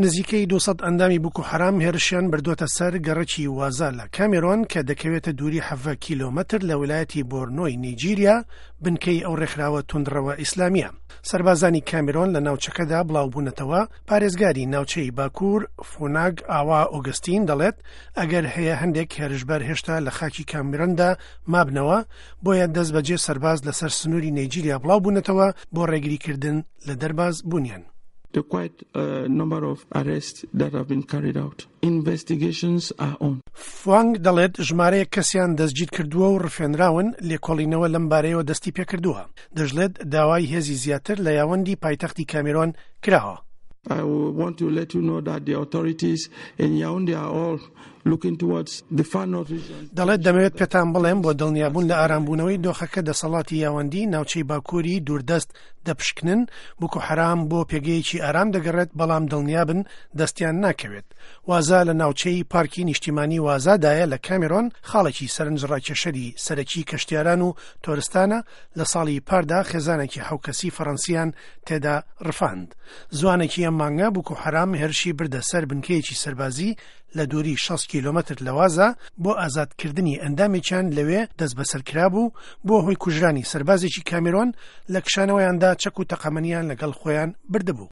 نزیکەی 200 ئەندامی بوکو حەرام هێرشیان بردووەتە سەر گەڕەکی وازا لە کامێرۆن کە دەکەوێتە دووری 17 کیلۆمەتر لە ویلایەتی بۆرنۆی نیجیریا، بنکەی ئەو ڕێکخراوە توندڕەوە ئیسلامییە. سەربازانی کامێرۆن لە ناوچەکەدا بڵاوبوونەتەوە، پارێزگاری ناوچەی باکوور فوناگ ئاوا ئۆگەستین دەڵێت، ئەگەر هەیە هەندێک هێرشبەر هێشتا لە خاکی کامێرۆندا مابنەوە، بۆیە دەستبەجێ سەرباز لەسەر سنووری نەیجیریا بڵاوبوونەتەوە بۆ ڕێگریکردن لە دەرباز بوونیان. There quite a number of arrests that have been carried out. Investigations are on. فوانگ دەڵێت ژمارەیەک کەسیان دەستگیرکردووە و ڕفێنراون، لێکۆڵینەوە لەم بارەیەوە دەستی پێکردووە. دەشڵێت داوای هێزی زیاتر لە یاوەندی پایتەختی کامیرۆن کراوە. I want to let you know that the authorities in Yaoundé are all looking towards the far north region. دەڵێت دەمەوێت پێتان بڵێم بۆ دڵنیابوون لە ئارامبوونەوەی دۆخەکە دەسەڵاتی یاوەندی ناوچەی باکووری دووردەست دەپشکنن، بوکو حەرام بۆ پێگەیەکی ئارام دەگەڕێت بەڵام دڵنیابن دەستیان ناکەوێت. وازا لە ناوچەی پارکی نیشتیمانی وازادایە لە کامیرۆن، خاڵێکی سەرنجڕاکێشەری سەرەکی کەشتیاران و تۆرستانە، لە ساڵی پاردا خێزانێکی حەوکەسی فەڕەنسییان تێدا ڕفاند. زوانێکی ئەم مانگە بوکو حەرام هێرشی بردە سەر بنکەیەکی سەربازی لە دووری 60 کیلۆمەتر لە وازا بۆ ئازادکردنی ئەندامێکیان لەوێ دەستبەسەرکرابوو، بووە هۆی کوژرانی سەربازێکی کامیرۆن، لە کشانەوەیاندا چەک و تەقەمەنیان لەگەڵ خۆیان بردبوو.